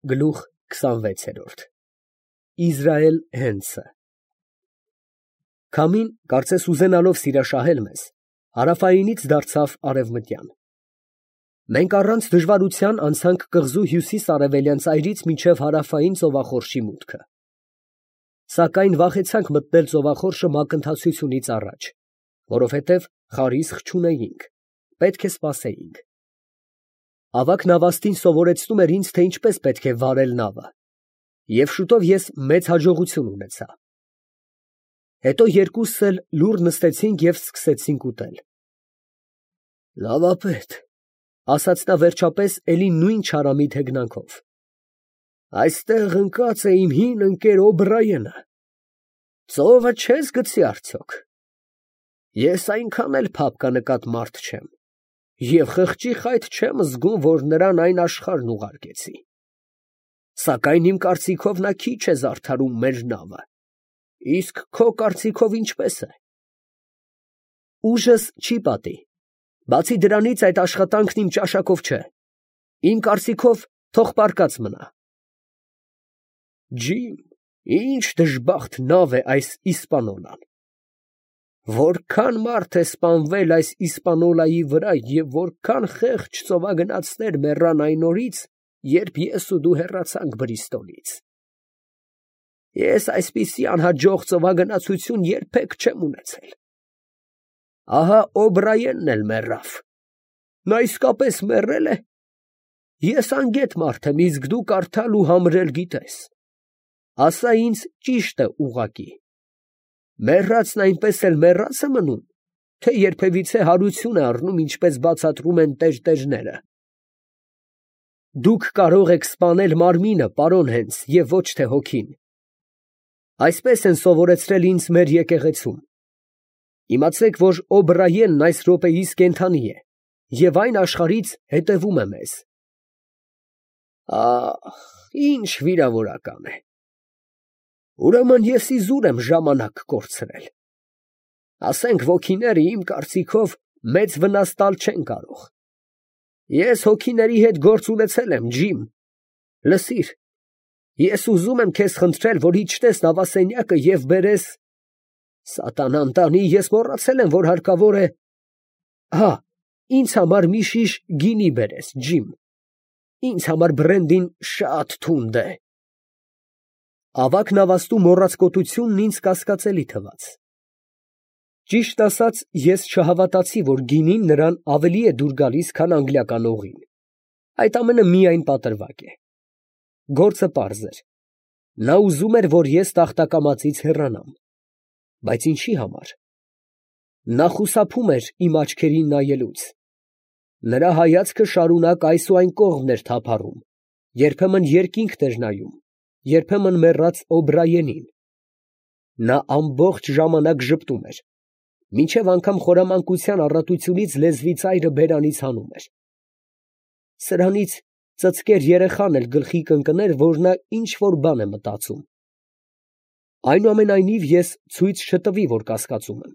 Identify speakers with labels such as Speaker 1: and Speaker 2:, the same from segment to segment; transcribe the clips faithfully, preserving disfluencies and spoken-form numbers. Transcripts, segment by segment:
Speaker 1: Գլուխ քսանվեց։ Իզրայել Հենցը Քամին, կարծես ուզենալով սիրաշահել մեզ, հարավայինից դարձավ արևմտյան. մենք առանց դժվարության անցանք կղզու հյուսիս֊արևելյան ծայրից մինչև հարավային ծովախորշի մուտքը, սակայն վախեցանք մտնել ծովախորշը մակընթացությունից առաջ, որովհետև խարիսխ չունեինք, պետք է սպասեինք։ Ավագ նավաստին սովորեցնում էր ինձ, թե ինչպես պետք է վարել նավը, և շուտով ես մեծ հաջողություն ունեցա։ Հետո երկուսս էլ լուռ նստեցինք և սկսեցինք ուտել։ «Լավապետ», ֊ ասաց նա վերջապես էլի նույն չարամիտ հեգնանքով, ֊ այստեղ ընկած է իմ հին ընկեր Օբրայենը. ծովը չե՞ս գցի արդյոք։ Ես այնքան էլ փափկանկատ մարդ չեմ, և խղճի խայտ չեմ զգում, որ նրան այն աշխարհն ուղարկեցի, սակայն իմ կարծիքով նա քիչ է զարդարում մեր նավը, իսկ քո կարծիքով ինչպե՞ս է։ Ուժս չի պատի, բացի դրանից այդ աշխատանքն իմ ճաշակով չէ, իմ կարծիքով թող պառկած մնա։ Ջիմ, ինչ դժբախտ նավ է այս Իսպանոլան, որքան մարդ է սպանվել այս Իսպանոլայի վրա և որքան խեղճ ծովագնացներ մեռան այն օրից, երբ ես ու դու հեռացանք Բրիստոլից։ Ես այսպիսի անհաջող ծովագնացություն երբեք չեմ ունեցել։ Ահա Օբրայենն էլ մեռավ։ Նա իսկապես մեռե՞լ է։ Ես անգետ մարդ եմ, իսկ դու կարդալ ու համրել գիտես։ Ասա ինձ ճիշտը ուղղակի. մեռածն այնպես էլ մեռած է մնում, թե երբևիցե հարություն է առնում, ինչպես բացատրում են տերտերները։ Դուք կարող եք սպանել մարմինը, պարոն Հենց, և ոչ թե հոգին։ Այսպես են սովորեցրել ինձ մեր եկեղեցում։ Իմացեք, որ Օբրայենն այս րոպեիս կենդանի է և այն աշխարհից հետևում է մեզ։ Ահ, ինչ վիրավորական է։ Ուրեմն ես իզուր եմ ժամանակ կորցրել։ Ասենք ոգիները իմ կարծիքով մեծ վնաս տալ չեն կարող։ Ես հոգիների հետ գործ ունեցել եմ, Ջիմ։ Լսիր, ես ուզում եմ քեզ խնդրել, որ իջնես նավասենյակը և բերես… Սատանան տանի, ես մոռացել եմ, որ հարկավոր է… Հա, ինձ համար մի շիշ գինի բերես, Ջիմ, ինձ համար բրենդին շատ թունդ է։ Ավագ նավաստու մոռացկոտությունն ինձ կասկածելի թվաց։ Ճիշտ ասած, ես չհավատացի, որ գինին նրան ավելի է դուր գալիս, քան անգլիական օղին։ Այդ ամենը միայն պատրվակ է։ Գործը պարզ էր. նա ուզում էր, որ ես տախտակամածից հեռանամ։ Բայց ինչի համար։ Նա խուսափում էր իմ աչքերին նայելուց։ Նրա հայացքը շարունակ այս ու այն կողմն էր թափառում, երբեմն երկինքն էր նայում, երբեմն մեռած Օբրայենին։ Նա ամբողջ ժամանակ ժպտում էր, մինչև անգամ խորամանկության առատությունից լեզվի ծայրը բերանից հանում էր։ Սրանից ծծկեր երեխան էլ գլխի կընկներ, որ նա ինչ֊որ բան է մտածում։ Այնուամենայնիվ ես ցույց չտվի, որ կասկածում եմ։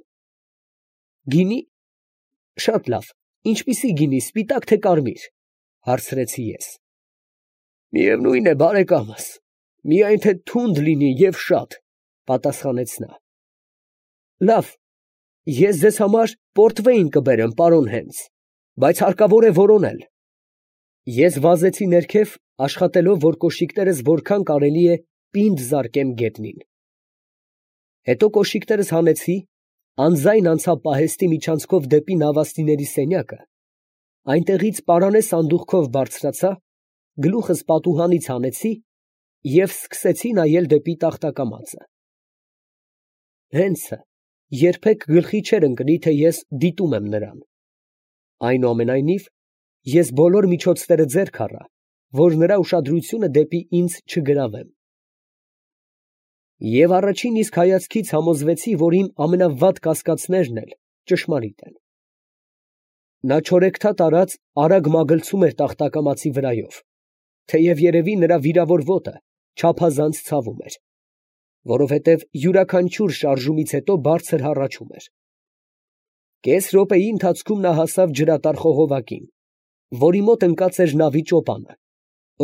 Speaker 1: Գինի… Շատ լավ, ինչպիսի գինի, սպիտակ թե կարմիր, հարցրեցի ես։ Միևնույն է, բարեկամս, միայն թե թունդ լինի և շատ, պատասխանեց նա։ Լավ, ես ձեզ համար պորտվեյն կբերեմ, պարոն Հենց, բայց հարկավոր է որոնել։ Ես վազեցի ներքև, աշխատելով, որ կոշիկներս որքան կարելի է պինդ զարկեմ գետնին։ Հետո կոշիկներս հանեցի, անձայն անցա պահեստի միջանցքով դեպի նավաստիների սենյակը, այնտեղից պարանե սանդուղքով բարձրացա, գլուխս պատուհանից հանեցի և սկսեցի նայել դեպի տախտակամածը։ Հենցը երբեք գլխի չէր ընկնի, թե ես դիտում եմ նրան։ Այնուամենայնիվ, ես բոլոր միջոցները ձեռք առա, որ նրա ուշադրությունը դեպի ինձ չգրավեմ։ Եվ առաջին իսկ հայացքից համոզվեցի, որ իմ ամենավատ կասկածներն էլ ճշմարիտ են։ Նա չորեքթաթ արած արագ մագլցում էր տախտակամածի վրայով, թեև երևի նրա վիրավոր ոտը չափազանց ցավում էր, որովհետև յուրաքանչյուր շարժումից հետո բարձր հառաչում էր։ Կես րոպեի ընթացքում նա հասավ ջրատար խողովակին, որի մոտ ընկած էր նավի ճոպանը,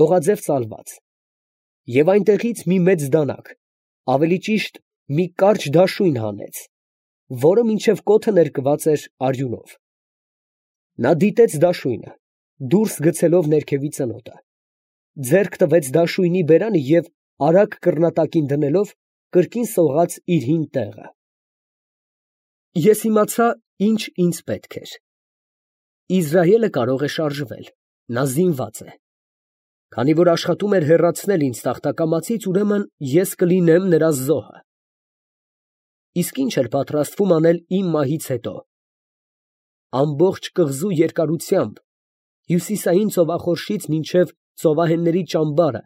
Speaker 1: օղաձև ծալված, և այնտեղից մի մեծ դանակ, ավելի ճիշտ մի կարճ դաշույն հանեց, որը մինչև կոթը ներկված էր արյունով. նա դիտեց դաշույնը, դուրս գցելով ներքևի ծնոտը, ձեռք տվեց դաշույնի բերանը և արագ կռնատակին դնելով, կրկին սողաց իր հին տեղը։ Ես իմացա, ինչ ինձ պետք էր. Իզրայելը կարող է շարժվել, նա զինված է։ Քանի որ աշխատում էր հեռացնել ինձ տախտակամածից, ուրեմն ես կլինեմ նրա զոհը։ Իսկ ինչ էր պատրաստվում անել իմ մահից հետո։ Ամբողջ կղզու երկարությամբ, հյուսիսային ծովախորշից մինչև ծովահենների ճամբարը,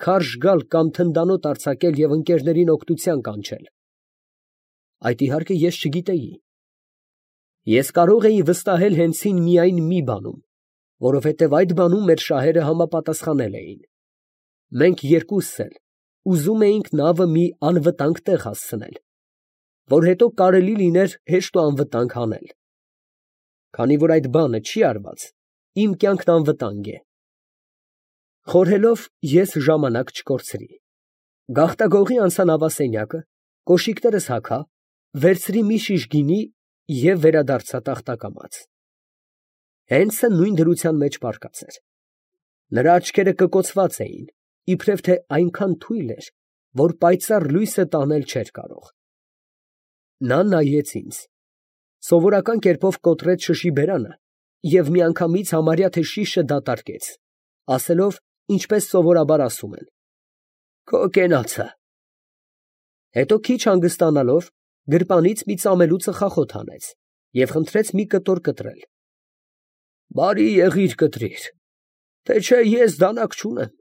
Speaker 1: քարշ գալ կամ թնդանոթ արձակել և ընկերներին օգնության կանչել։ Այդ իհարկե ես չգիտեի։ Ես կարող էի վստահել հենց ինձ միայն մի բանում, որովհետև այդ բանում մեր շահերը համապատասխանել էին։ Մենք երկուսս էլ ուզում էինք նավը մի անվտանգ տեղ հասցնել, որ հետո կարելի լիներ հեշտ ու անվտանգ հանել։ Քանի որ այդ բանը չի արված, իմ կյանքն անվտանգ է։ Խորհելով, ես ժամանակ չկորցրի։ Գաղտագողի անցա նավասենյակը, կոշիկներս հագա, վերցրի մի շիշ գինի և վերադարձա տախտակամաց։ Հենսը նույն դրության մեջ պառկած էր։ Նրա աչքերը կկոցված էին, իբրև թե այնքան թույլ էր, որ պայծառ լույսը տանել չէր կարող։ Նա նայեց ինձ, սովորական կերպով կոտրեց շշի բերանը և միանգամից համարյա թե շիշը դատարկեց, ասելով, ինչպես սովորաբար ասում են. «Քո կենացը»։ Հետո քիչ հանգստանալով, գրպանից մի ծամելու ծխախոտ հանեց և խնդրեց մի կտոր կտրել։ «Բարի եղիր կտրիր, թե չէ ես դանակ չունեմ,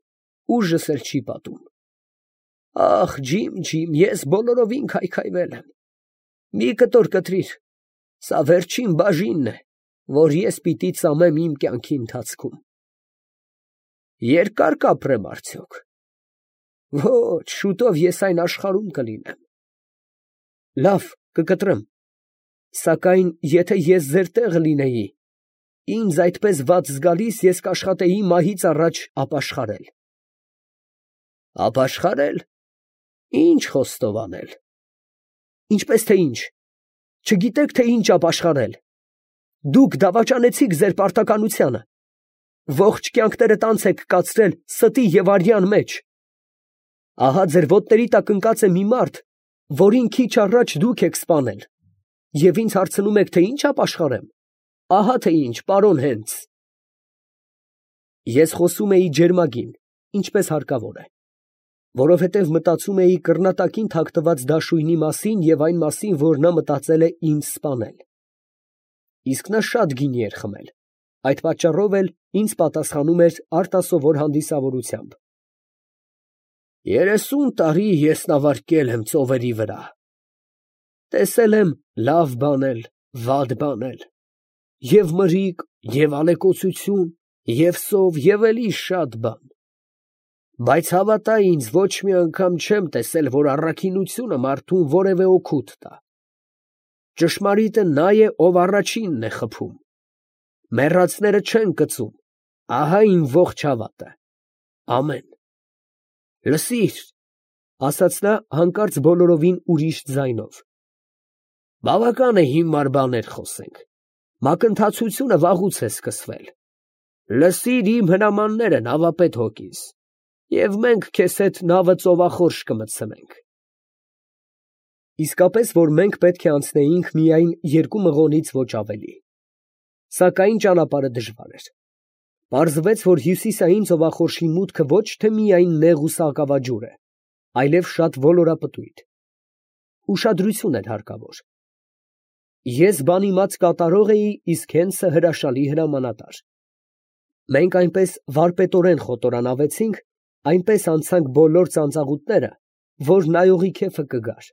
Speaker 1: ուժս էլ չի պատում։ Ախ, ջիմ, ջիմ, ես բոլորովին քայքայվել եմ։ Մի կտոր կտրիր, սա վերջին բաժինն է, որ ես պիտի ծամեմ իմ կյանքի ընթացքում։ Երկա՞ր կապրեմ արդյոք։ Ոչ, շուտով ես այն աշխարհում կլինեմ։ Լավ, կկտրեմ, սակայն եթե ես ձեր տեղը լինեի, ինձ այդպես վատ զգալիս ես կաշխատեի մահից առաջ ապաշխարել։ Ապաշխարե՞լ, ի՞նչ խոստով անել։ Ինչպես թե ինչ, չգիտեք, թե ինչ ապաշխարել։ Դուք դավաճանեցիք ձեր պարտականությանը, ողջ կյանքներդ անց եք կացրել ստի և արյան մեջ։ Ահա ձեր ոտների տակ ընկած է մի մարդ, որին քիչ առաջ դուք եք սպանել, և ինձ հարցնում եք, թե ինչ ապաշխարեմ։ Ահա թե ինչ, պարոն Հենս։ Ես խոսում էի ջերմագին, ինչպես հարկավոր է, որովհետև մտածում էի կռնատակին թաքնված դաշույնի մասին և այն մասին, որ նա մտածել է ինձ սպանել։ Իսկ նա շատ գինի էր խմել, այդ պատճառով էլ ինձ պատասխանում էր արտասովոր հանդիսավորությամբ։ Երեսուն տարի ես նավարկել եմ ծովերի վրա, տեսել եմ լավ բանել, վատ բանել, և մրրիկ, և ալեկոծություն, և սով, և էլի շատ բան, բայց հավատա ինձ, ոչ մի անգամ չեմ տեսել, որ առաքինությունը մարդուն որևէ օգուտ տա։ Ճշմարիտը նա է, ով առաջինն է խփում, մեռածները չեն կծում, ահա իմ ողջ հավատը։ Ամեն։ Լսիր, ֊ ասաց նա հանկարծ բոլորովին ուրիշ ձայնով, բավական է հիմար բաներ խոսենք, մակընթացությունը վաղուց է սկսվել։ Լսիր իմ հրամանները, նավապետ հոգիս, և մենք քեզ հետ նավը ծովախորշ կմտցնենք։ Իսկապես, որ մենք պետք է անցնեինք միայն երկու մղոնից ոչ ավելի։ Սակայն ճանապարհը դժվար էր։ Պարզվեց, որ հյուսիսային ծովախորշի մուտքը ոչ թե միայն նեղ ու սակավաջուր է, այլև շատ ոլորապտույտ։ Ուշադրություն էր հարկավոր։ Ես բանիմաց կատարող էի, իսկ Հենսը հրաշալի հրամանատար։ Մենք այնպես վարպետորեն խոտորանավեցինք, այնպես անցանք բոլոր ծանծաղուտները, որ նայողի քեֆը կգար։